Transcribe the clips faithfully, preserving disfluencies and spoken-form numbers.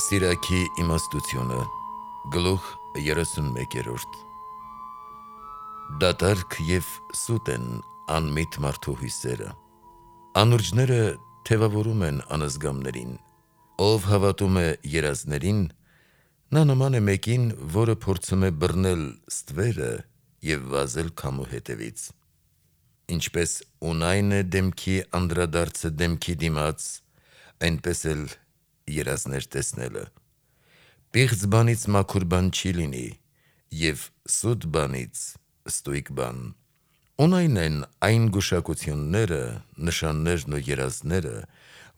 Սիրակի իմաստությունը գլուխ երեսունմեկերորդ Դատարկ և սուտ են անմիտ մարդու հույսերը։ Անուրջները թևավորում են անզգամներին։ Ով հավատում է երազներին, նա նման է մեկին, որը փորձում է բռնել ստվերը և վազել քամու հետևից։ Ինչպես ունայն է դեմքի անդրադարձը դեմքի դիմաց, այնպես էլ երազներ տեսնելը։ Պիղծ բանից մաքուր բան չի լինի, և սուտ բանից ստույգ բան։ Ունայն են այն գուշակությունները, նշաններն ու երազները,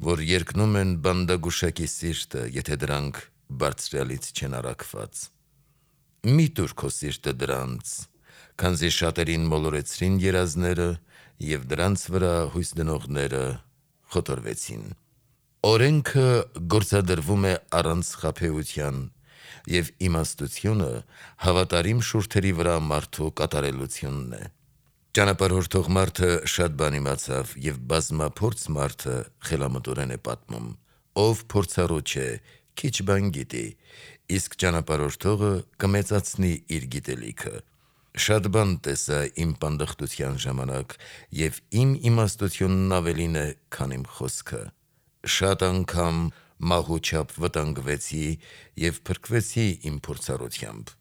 որ երկնում են բանդագուշակի սիրտը, եթե դրանք Բարձրյալից չեն առաքված։ Մի տուր քո սիրտը դրանց, քանզի շատերին մոլորեցրին երազները, և դրանց վրա հույս դնողները խոթորվեցին։ Օրենքը գործադրվում է առանց խաբեության, և իմաստությունը հավատարիմ շուրթերի վրա մարդու կատարելությունն է։ Ճանապարհորդող մարդը շատ բան իմացավ, և բազմափորձ մարդը խելամտորեն է պատմում։ Ով փորձառու չէ, քիչ բան գիտի, իսկ ճանապարհորդողը կմեծացնի իր գիտելիքը։ Շատ բան տեսա իմ պանդխտության ժամանակ, և իմ իմաստությունն ավելին է, քան իմ խոսքը։ Շատ անգամ մահու չափ վտանգվեցի և փրկվեցի իմ փորձառությամբ։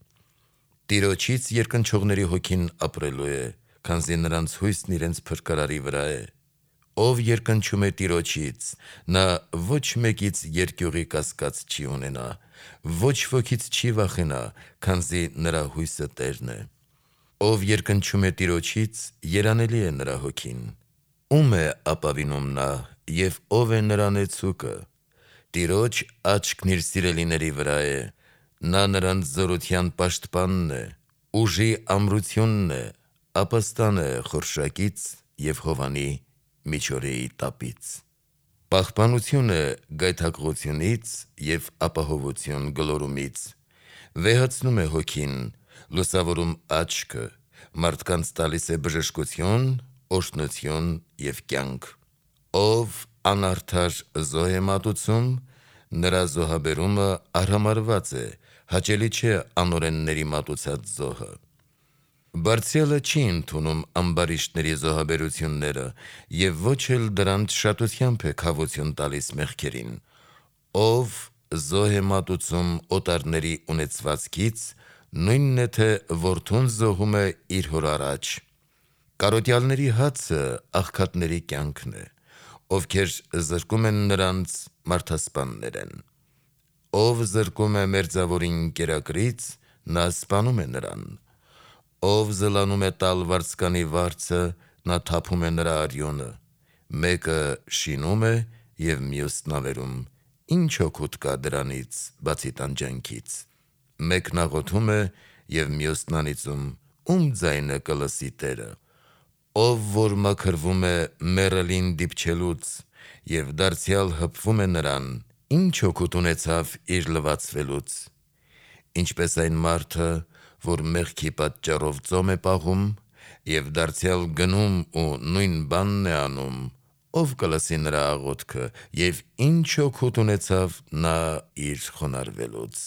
Տիրոջից երկնչողների հոգին ապրելու է, քանզի նրանց հույսն իրենց փրկարարի վրա է։ Ով երկնչում է Տիրոջից, նա ոչ մեկից երկյուղի կասկած չի ունենա, ոչ ոքից չի վախենա, քանզի նրա հույսը Տերն է։ Ով երկնչում է Տիրոջից, երանելի է նրա հոգին։ Ո՞ւմ է ապավինում նա, և ո՞վ է նրա նեցուկը։ Տիրոջ աչքն իր սիրելիների վրա է, նա նրանց զորության պաշտպանն է, ուժի ամրությունն է, ապաստան է խորշակից և հովանի միջօրեի տապից։ Պահպանություն է գայթակղությունից և ապահովություն գլորումից։ Վեհացնում է հոգին, լուսավորում աչքը, մարդկանց տալիս է բժշկություն, օրհնություն և կյանք։ Ով անարդար զոհ է մատուցում, նրա զոհաբերումը արհամարհված է, հաճելի չէ անօրենների մատուցած զոհը։ Բարձրյալը չի ընդունում ամբարիշտների զոհաբերությունները և ոչ էլ դրանց շատությամբ է քավություն տալիս մեղքերին։ Ով զոհ է մատուցում օտարների ունեցվածքից, նույնն է, թե որդուն զոհում է իր հոր առաջ։ Կարոտյալների հացը աղքատների կյանքն է, ովքեր զրկում են նրանց, մարդասպաններ են։ Ով զրկում է մերձավորին կերակրից, նա սպանում է նրան։ Ով զլանում է տալ վարձկանի վարձը, նա թափում է նրա արյունը։ Մեկը շինում է և մյուսն ավերում, ի՞նչ օգուտ կա դրանից, բացի տանջանքից։ Մեկն աղոթում է, և մյուսն անիծում, ո՞ւմ ձայնը կլսի Տերը։ Ով որ մաքրվում է մեռելին դիպչելուց և դարձյալ հպվում է նրան, ի՞նչ օգուտ ունեցավ իր լվացվելուց։ Ինչպես այն մարդը, որ մեղքի պատճառով ծոմ է պահում և դարձյալ գնում ու նույն բանն է անում, ո՞վ կլսի նրա աղոթքը, և ի՞նչ օգուտ ունեցավ նա իր խոնարհվելուց։